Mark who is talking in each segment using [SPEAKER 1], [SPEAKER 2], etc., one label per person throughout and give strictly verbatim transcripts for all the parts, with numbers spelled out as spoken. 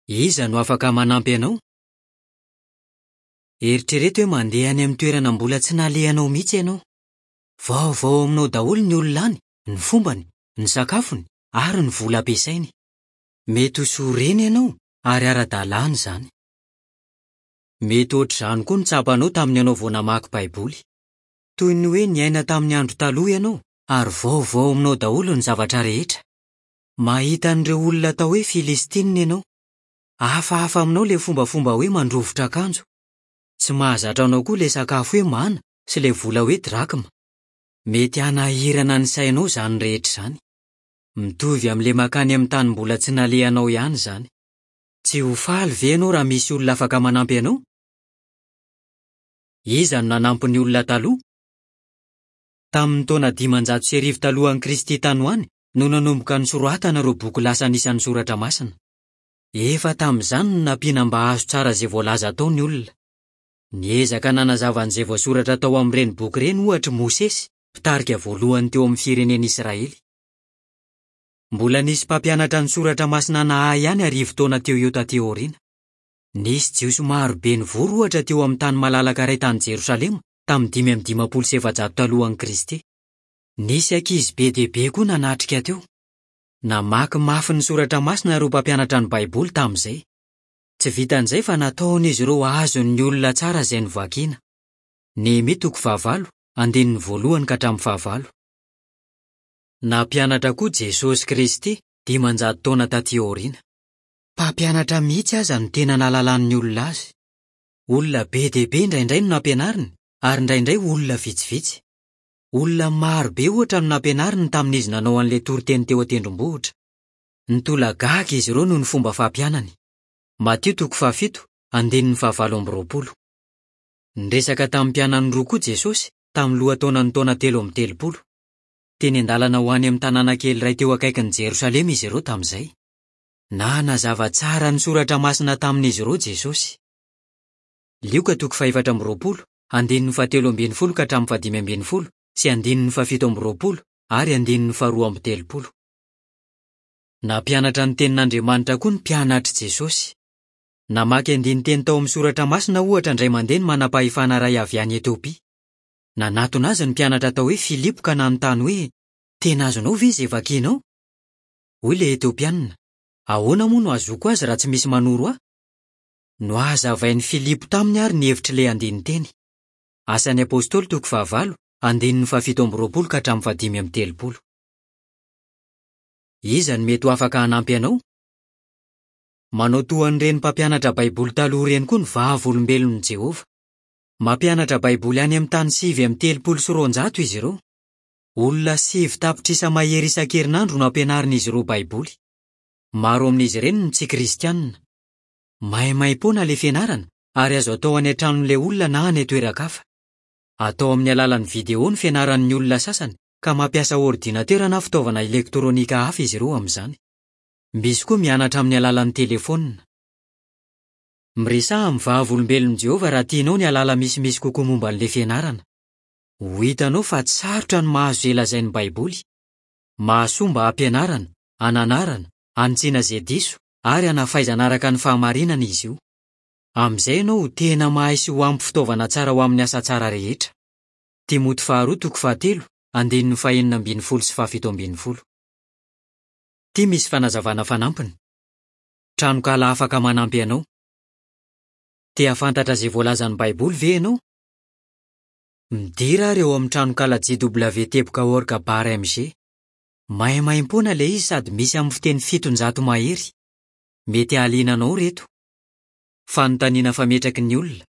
[SPEAKER 1] Iza no afaka manampy anao? Eritrereto hoe mandeha any amin'ny toerana mbola tsy nalehanao mihitsy ianao. Vaovao aminao daholo ny olona any, ny fombany, ny sakafony ary ny vola ampiasainy. Mety ho sorena ianao ary ara-dalàna izany. Mety hoatr'izany koa no tsapanao tamin'ny ianao vao namaky Baiboly. Toy ny hoe niaina tamin'ny andro taloha ianao ary vaovao aminao daholo ny zavatra rehetra. Mahita an'ireo olona atao hoe Filistinina ianao. Hafahafa aminao ilay fombafomba hoe mandrovitra akanjo. Tsy mahazatra anao koa ilay sakafo hoe mana sy ilay vola hoe drakma. Mety hanahirana ny sainao izany rehetra izany. Mitovy amin'ilay mankany amin'ny tany mbola tsy nalehanao ihany izany. Tsy ho faly ve ianao raha misy olona afaka manampy anao? Iza no nanampy ny olona taloha? Tamin'ny taona dimanjato sy arivo talohan'i Kristy tany ho any no nanomboka nosoratana ireo boky lasa anisan'ny Soratra Masina. Efa tamin'izany no nampiana mba hahazo tsara izay voalaza tao ny olona. Niezaka nanazava an'izay voasoratra tao amin'ireny boky ireny ohatra i Mosesy, mpitarika voalohany teo amin'ny firenena Israely. Mbola nisy mpampianatra ny Soratra Masina nahay ihany arivo taona teo eo taty aoriana. Nisy Jiosy maro be nivory ohatra teo amin'ny tany malalaka iray tany Jerosalema tamin'ny dimy amby dimampolo sy efajato talohan'i Kristy. Nisy ankizy be dia be koa nanatrika teo. Namaky mafy ny Soratra Masina ireo mpampianatra ny Baiboly tamin'izay. Tsy vitan'izay fa nataon'izy ireo azon'ny olona tsara izay novakiana. Nehemia toko fahavalo, andininy voalohany ka hatramin'ny fahavalo. Nampianatra koa Jesosy Kristy dimanjato taona taty aoriana. Mpampianatra mihitsy aza no tena nahalalan'ny olona azy. Olona be dia be indraindray no nampianariny ary indraindray olona vitsivitsy. Olona maro be ohatra no nampianariny tamin'izy nanao an'ilay toriteny teo an-tendrombohitra. Nitolagaga izy ireo noho ny fomba fampianany. Matio toko fahafito, andininy fahavalo amby roapolo. Niresaka tamin'ny mpianany roa koa Jesosy tamin'ny lohataonan'ny taona telo amby telopolo. Teny an-dalana ho any amin'ny tanàna kely iray teo akaikin'i Jerosalema izy ireo tamin'izay. Nanazava tsara ny Soratra Masina tamin'izy ireo Jesosy. Lioka toko fahefatra amby roapolo, andininy fahatelo ambin'ny folo ka hatramin'ny fahadimy ambin'ny folo sy andininy fahafito amby roapolo ary andininy faharoa amby telopolo. Nampianatra ny tenin'Andriamanitra koa ny mpianatr'i Jesosy. Namaky andinin-teny tao amin'ny Soratra Masina ohatra indray mandeha ny manam-pahefana iray avy any Etiopia. Nanatona azy ny mpianatra atao hoe Filipo ka nanontany hoe: "Tena azonao ve izay vakianao?" Hoy ilay Etiopianina: "Ahoana moa no hahazoako azy raha tsy misy manoro ahy?" Nohazavain'i Filipo taminy ary ny hevitr'ilay andinin-teny. Asan'ny Apostoly toko fahavalo, andininy fahafito amby roapolo ka hatramin'ny fahadimy amby telopolo. Iza no mety ho afaka hanampy anao? Manao toa an'ireny mpampianatra Baiboly taloha ireny koa ny Vavolombelon'i Jehovah. Mampianatra Baiboly any amin'ny tany sivy amby telopolo sy roanjato izy ireo. Olona sivy tapitrisa mahery isan-kerinandro no ampianarin'izy ireo Baiboly. Maro amin'izy ireny no tsy kristianina. Maimaim-poana ilay fianarana ary azo atao any an-tranon'ilay olona na any an-toeran-kafa. Atao amin'ny alalan'ny video ny fianaran'ny olona sasany ka mampiasa ordinatera na fitaovana elektronika hafa izy ireo amin'izany. Misy koa mianatra amin'ny alalan'ny telefaonina. Miresaha amin'ny Vavolombelon'i Jehovah raha tianao ny hahalala misimisy kokoa momba an'ilay fianarana. Ho hitanao fa tsy sarotra ny mahazo izay lazain'ny Baiboly. Mahasoa mba hampianarana, hananarana, hanitsiana izay diso ary hanafaizana araka ny fahamarinana izy io. Amin'izay ianao ho tena mahay sy ho ampy fitaovana tsara ho amin'ny asa tsara rehetra. Timoty faharoa toko fahatelo, andininy fahenina ambin'ny folo sy fahafito ambin'ny folo. Ity misy fanazavana fanampiny. Tranonkala afaka manampy anao. Te hahafantatra izay voalazan'ny Baiboly ve ianao? Midira ary eo amin'ny tranonkala J W teboka org bar M G. Maimaimpoana ilay izy sady misy amin'ny fiteny fitonjato mahery. Mety hahaliana anao ireto. Fanontaniana fametraky ny olona.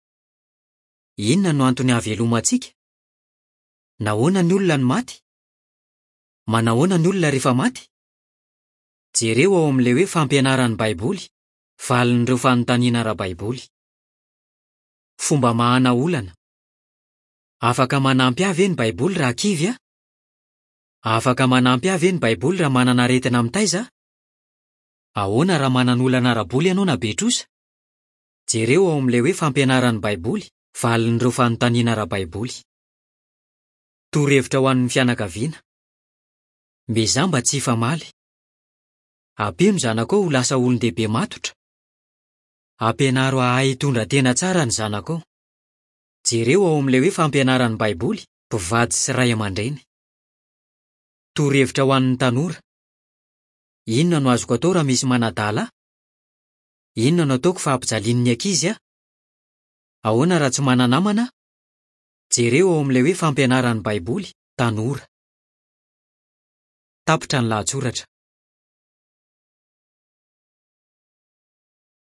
[SPEAKER 1] Inona no antony hahavelomantsika? Nahoana ny olona no maty? Manahoana ny olona rehefa maty? Jereo ao amin'ilay hoe fampianaran'ny Baiboly, valin'ireo fanontaniana ara-baiboly. Fomba mahana olana. Afaka manampy ahy ve ny Baiboly raha kivy aho? Afaka manampy ahy ve ny Baiboly raha manana aretina mitaiza aho? Ahoana raha manana olana ara-bola ianao na be trosa? Jereo ao amin'ilay hoe fampianaran'ny Baiboly, valin'ireo fanontaniana ara-baiboly. Torohevitra ho an'ny fianakaviana. Miezaha mba tsy hifamaly. Ampio ny zanakao ho lasa olon-dehibe matotra. Ampianaro hahay hitondra tena tsara ny zanakao. Jereo ao amin'ilay hoe Fampianaran'ny Baiboly, Mpivady sy Ray aman-dreny. Torohevitra ho an'ny tanora. Inona no azoko atao raha misy manadala ahy? Inona no ataoko fa ampijalian'ny ankizy aho? Ahoana raha tsy mana-namana aho? Jereo ao amin'ilay hoe Fampianaran'ny Baiboly, Tanora. Tapitra ny lahatsoratra.